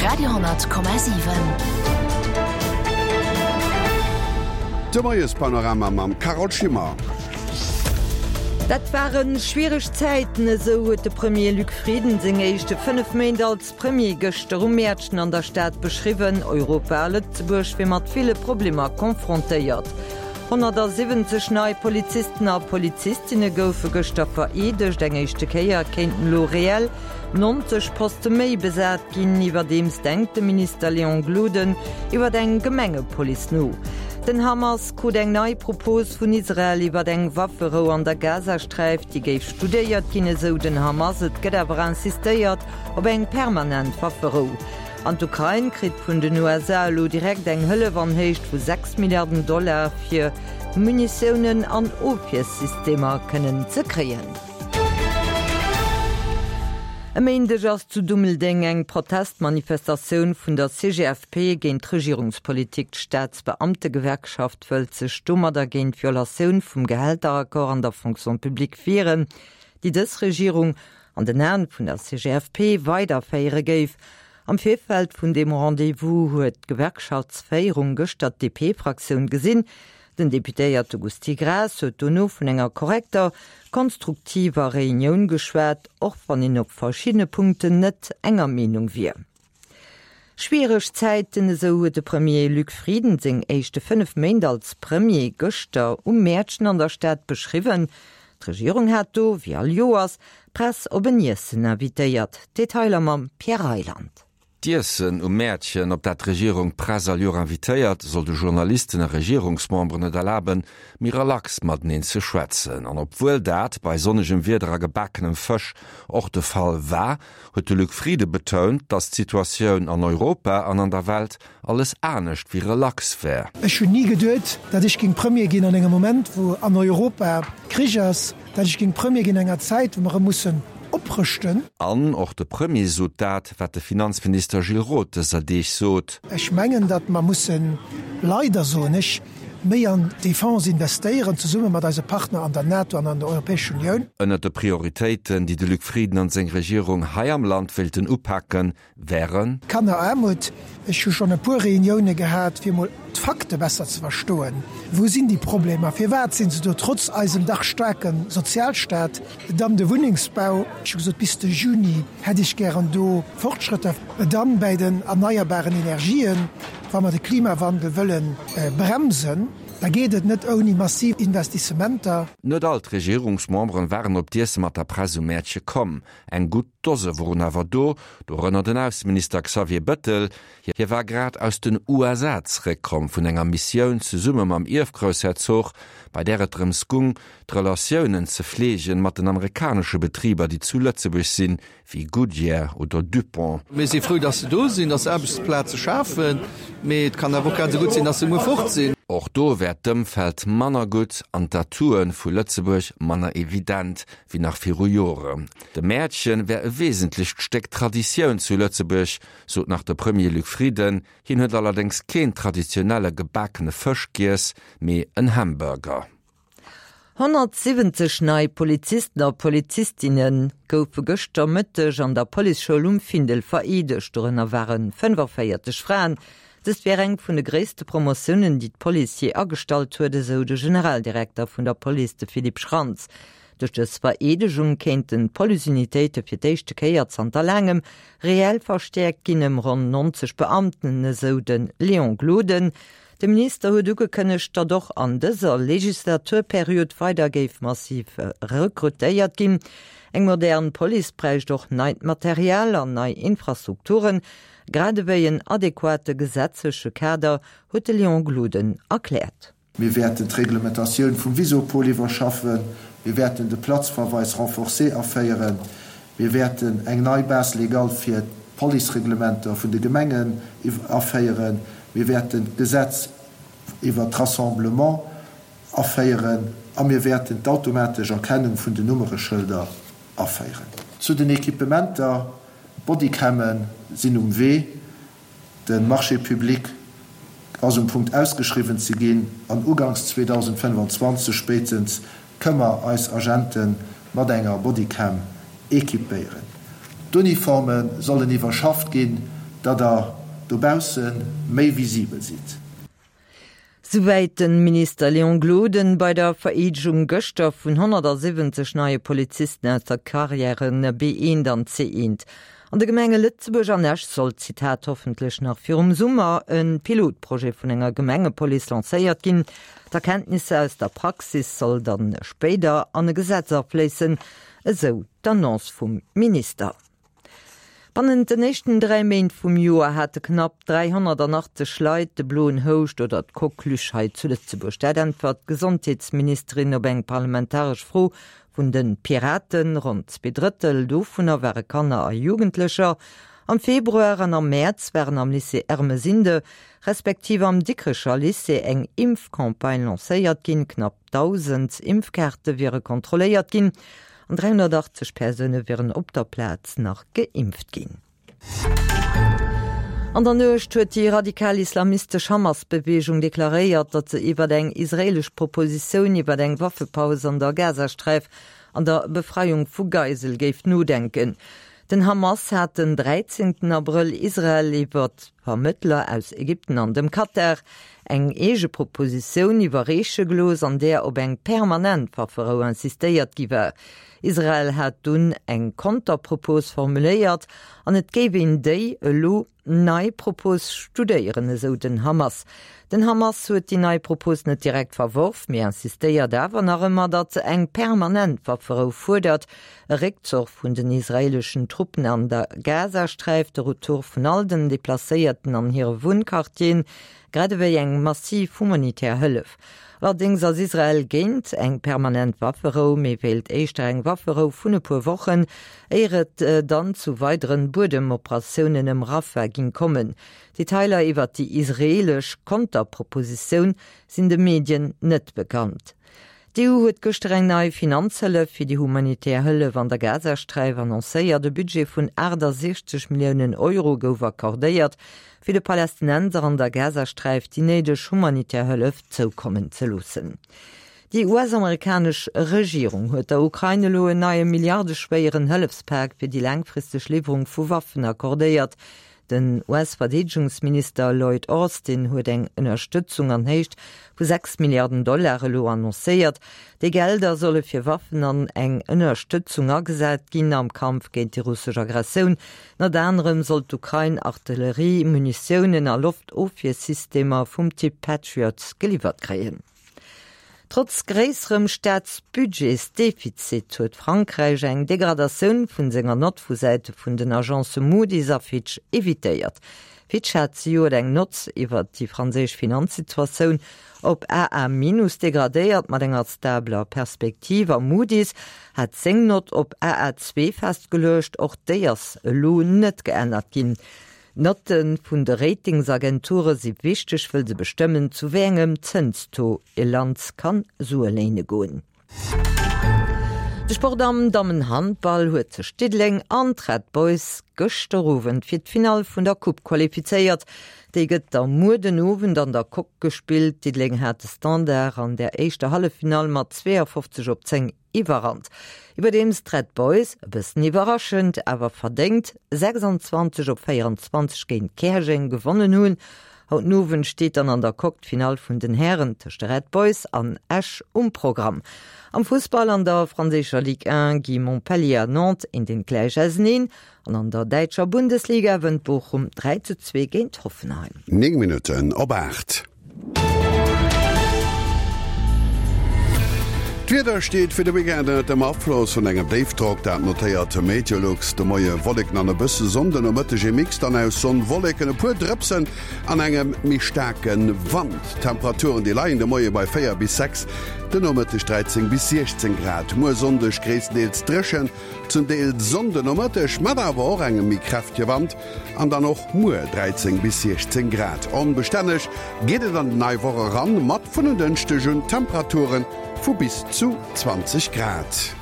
Radio,7. De Moiespanorama mam Carole Schimmer. Dat ware schwiereg Zäiten, esou huet de Premier Luc Frieden seng éischte 5 Méint als Premier gëschter um Mäertchen an der Stad beschriwwen. Europa a Lëtzebuerg wier mat ville Problemer confrontéiert. 170 nei Polizisten a Polizistinne goufe gëschter vereedegt. Eng éischte Kéier kéinten elo reell 90 Poste méi besat ginn. Iwwerdeems denkt de Minister Léon Gloden iwwer eng Gemengepolice no. Den Hamas krut eng nei Propos vun Israel iwwer eng Wafferou an der Gazasträif. Déi géif studéiert ginn, esou den Hamas. Et gëtt awer insistéiert op eng permanent Wafferou. An d'Ukrain kritt vun den USA elo direkt eng Hëllef an Héicht vu 6 Milliarden Dollar, fir Munitiounen an Ofwiersystemer kënnen ze kréien. E Méindeg ass zu Dummeldeng eng Protestmanifestatioun vun der CGFP géint d'Regierungspolitik. D'Staatsbeamtegewerkschaft wëllt sech domadder géint d'Violatioun vum Gehälteraccord an der Fonction publique wieren, déi dës Regierung an den Aen vun der CGFP weiderféiere géif. Am Virfeld vun deem Rendez-vous huet d'Gewerkschaftsféierung gëschter d'DP-Fraktioun gesinn. Den Deputéierte Gusty Graas huet dono vun enger korrekter, konstruktiver Reunioun geschwat, och wann een op verschiddene Punkten net enger Meenung wier. Schwiereg Zäiten, esou huet de Premier Luc Frieden seng éischte 5 Méint als Premier gëschter um Mäertchen an der Stad beschriwwen. D'Regierung hat do, wéi all Joers, d'Press op en Iessen invitéiert. Detailer mam Pierre Reyland. D'Iessen um Mäertchen, op dat d'Regierung d'Press all Joer invitéiert, soll de Journalisten a Regierungsmemberen et erlaben, méi relax mateneen ze schwätzen. An obwuel dat bei sonnegem Wieder a gebakenem Fësch och de Fall war, huet de Luc Frieden betount, datt d'Situatioun an Europa an an der Welt alles anescht wéi relax wär. Ech hunn ni geduet, datt ech géing Premier ginn an engem Moment, wou an Europa Krich ass, datt ech géing Premier ginn an enger Zäit, wou mer erëm mussen oprëschten. An och de Premier sot dat, wat de Finanzminister Gilles Roth dëser Deeg sot. Ech mengen, datt mer mussen, leider soen ech, méi an d'Defense investéieren, zesumme mat eise Partner an der NATO an an der Europäescher Unioun. Ënnert de Prioritéiten, déi de Luc Frieden an seng Regierung hei am Land wéilten upaken, wären. Kanneraarmut, Ech hu schonn e puer Reunioune gehat, fir mol d'Fakte besser ze verstoen. Wou sinn déi Problemer? Firwat sinn se do, trotz eisem dach staarke Sozialstaat? Dann de Wunnengsbau, Ech hu gesot, bis de Juni hätt ech gären do Fortschrëtter. Dann bäi den erneierbaren Energien, Wa mer de Klimawandel wëlle bremsen, da geet et net ouni massiv Investissementer. Net all d'Regierungsmemberen waren op d'Iesse mat der Press um Mäertche komm. Eng gutt Dose woren awer do, dorënner den Ausseminister Xavier Bëttel. Hie war grad aus den USA zeréckkomm vun enger Missioun zesumme mam Ierfgroussherzog, bei där et drëms gung, d'Relatiounen ze fleegen mat den amerikanesche Betriber, déi zu Lëtzebuerg sinn, wéi Goodyear oder Dupont. Mir si frou, dass se do sinn, dass se Aarbechtsplaze schafen, mee et kann awer och grad esou gutt sinn, dass se muer fort sinn. Och do wär d'Ëmfeld manner gutt an d'Atoue vu Lëtzebuerg manner evident wéi nach viru Joren. De Mäertchen wär e wesentlecht Stéck Traditioun zu Lëtzebuerg, sot nach de Premier Luc Frieden. Hien huet allerdéngs keen traditionelle gebakene Fësch giess, mee en Hamburger. 170 nei Polizisten a Polizistinne goufe gëschter Mëtteg an der Policeschoul um Findel vereedegt. Dorënner ware 45 Fraen. Dëst wär eng vun de gréisste Promotiounen, déi d'Police jee agestallt huet, esou de Generaldirekter vun der Police, de Philippe Schrantz. Duerch dës Vereedegung kéinten d'Policeunitéite fir d'éischte Kéier zanter laangem reell verstäerkt ginn, ëm ronn 90 Beamten, esou de Léon Gloden. De Minister huet ugekënnegt, datt och an dëser Legislaturperiod weider géif massiv rekrutéiert ginn. Eng modern Police bräicht och neit Material an nei Infrastrukturen, grad ewéi en adequate gesetzleche Kader, huet de Léon Gloden erkläert. Mir wäerten d'Reglementatioun vum Visopol iwwerschaffen. Mir wäerten de Platzverweis renforcé aféieren. Mir wäerten eng nei Base légale fir d'Policereglementer vun de Gemengen aféieren. Mir wäerten d'Gesetz iwwert d'Rassemblement aféieren a mir wäerten d'automatesch Erkennung vun den Nummereschëlder aféieren. Zu den Equipementer, Bodycamme sinn um Wee. De Marché public ass um Punkt ausgeschriwwen ze ginn an uganks 2025 spéitstens kënn mer eis Agente mat enger Bodycam équipéieren. D'Uniforme sollen iwwerschafft ginn. datt Der dobausse méi visibel sidd. Souwäit de Minister Léon Gloden bei der Vereedegung gëschter vun 170 neie Polizisten aus der Carrière B1 an C1. An de Gemenge Lëtzebuerg an Esch soll, Zitat, hoffentlech nach virum Summer e Pilotprojet vun enger Gemengepolice lancéiert ginn. D'Erkenntnisser aus der Praxis soll dann spéider an e Gesetz afléissen, esou d'Annonce vum Minister. Bannent den éischten 3 Méint vum Joer hate knapp 380 Leit de bloen Houscht oder d'Coqueluche hei zu Lëtzebuerg. Dat äntwert d'Gesondheetsministerin op eng parlamentaresch Fro vun de Piraten. Ronn zweedrëttel dovunner ware Kanner a Jugendlecher. Am Februar an am Mäerz waren am Lycée Ermesinde respektiv am Dikrecher Lycée eng Impfcampagne lancéiert ginn. Knapp 1.000 Impfkaarte wiere kontrolléiert ginn. An 380 Persoune wieren op der Plaz nach geimpft ginn. An der Nuecht huet déi radikal-islamistesch Hamas-Beweegung deklaréiert, datt se iwwer eng israeelesch Propositioun iwwer eng Waffepaus an der Gazasträif an der Befreiung vu Geisel géif nodenken. Den Hamas hat den 13 Abrëll Israel iwwer Vermëttler aus Ägypten an dem Katar eng eege Propositioun iwwerreeche gelooss, an där op eng permanent Wafferou insistéiert gi war. Israel hat dunn eng Konterpropos formuléiert an et géif een déi elo nei Propos studéieren, esou den Hamas. Den Hamas huet déi nei Propos net direkt verworf, mee insistéiert awer nach ëmmer, datt se eng permanent Wafferou fuerdert, e Réckzoch vun den israeeleschen Truppen an der Gazasträif, de Retour vun all den Deplacéierten an hire Wunnquartieren, grad ewéi eng massiv humanitär Hëllef. Allerdéngs ass Israel géint eng permanent Wafferou, mee wéilt éischter eng Wafferou vun e puer Wochen, éier et dann zu weideren Buedemoperatiounen ëm Rafah ging kommen. Detailer iwwert déi israeelesch Konterpropositioun sinn de Medien net bekannt. D'EU huet gëschter eng nei Finanzhëllef fir déi humanitär Hëllef an der Gazasträif annoncéiert. E Budget vun 68 Milliounen Euro gouf accordéiert, fir de Palästinenser an der Gazasträif déi néideg humanitär Hëllef zoukommen ze loossen. Déi US-amerikanesch Regierung huet der Ukrain elo en neie milliardeschwéieren Hëllefspak fir déi laangfristeg Liwwerung vu Waffen accordéiert. Den US-Verdeedegungsminister Lloyd Austin huet eng Ënnerstëtzung an Héicht vu 6 Milliarden Dollar elo annoncéiert. Déi Gelder solle fir Waffen an eng Ënnerstëtzung agesat ginn am Kampf géint déi russesch Aggressioun. Ënnert anerem soll d'Ukrain Artillerie, Munitiounen a Loftofwiersystemer vum Typ Patriot geliwwert kréien. Trotz gréisserem Staatsbudgetsdefizit huet Frankräich eng Degradatioun vun senger Nott vu Säite vun den Agencë Moody's a Fitch evitéiert. Fitch hat zejoert eng Nott iwwert déi franséisch Finanzsituatioun op AA minus degradéiert mat enger stabler Perspektiv a Moody's hat seng Nott op AA2 festgeluecht. Och déi ass elo net geännert ginn. D'Notte vun de Ratingsagenture si wichteg, wëll se bestëmmen, zu wéi engem Zënstaux e Land kann Sue léine goen. De Sport Am Dammenhandball huet sech Diddeleng an d'Red Boys gëschter Owend fir d'Finall vun der Coupe qualifizéiert. Déi gëtt da muer den Owend an der Coque gespillt. Diddeleng hat de Standard an der éischter Halleffinall mat 52 op 10 Iwwerrannt, iwwerdeems d'Red Boys, e bëssen iwwerraschend, awer verdéngt 26 op 24 géint Käerjeng gewonnen hunn. Haut den Owend steet dann an der Coque d'Finall vun den Hären tëscht de Red Boys an Esch um Programm. Am Fussball an der franséischer Ligue 1 gi Montpellier a Nantes een den gläich auseneen an an der däitscher Bundesliga wënnt Bochum 3 zu 2 géint Hoffenheim. 9 Minutten op 8. D'Wieder steet fir de Weekend ënnert dem Afloss vun engem Déifdrock, dat notéiert Meteolux. De Moie Wolleken an e bësse Sonn, den Nomëtteg ee Mix dann aus Sonn, Wolleken, e puer Drëpsen an engem méi staarke Wand. D'Temperaturen déi leien de Moie bei 4 bis 6, den Nomëtteg 13 bis 16 Grad. Muer Sonndeg gréisstendeels dréchen, zum Deel Sonn den Nomëtteg, mat awer och engem méi kräftege Wand. An dann och muer 13 bis 16 Grad. Onbestänneg geet et an déi nei Woch eran, mat vun en Dënschdeg un Temperature vu bis zu 20 Grad.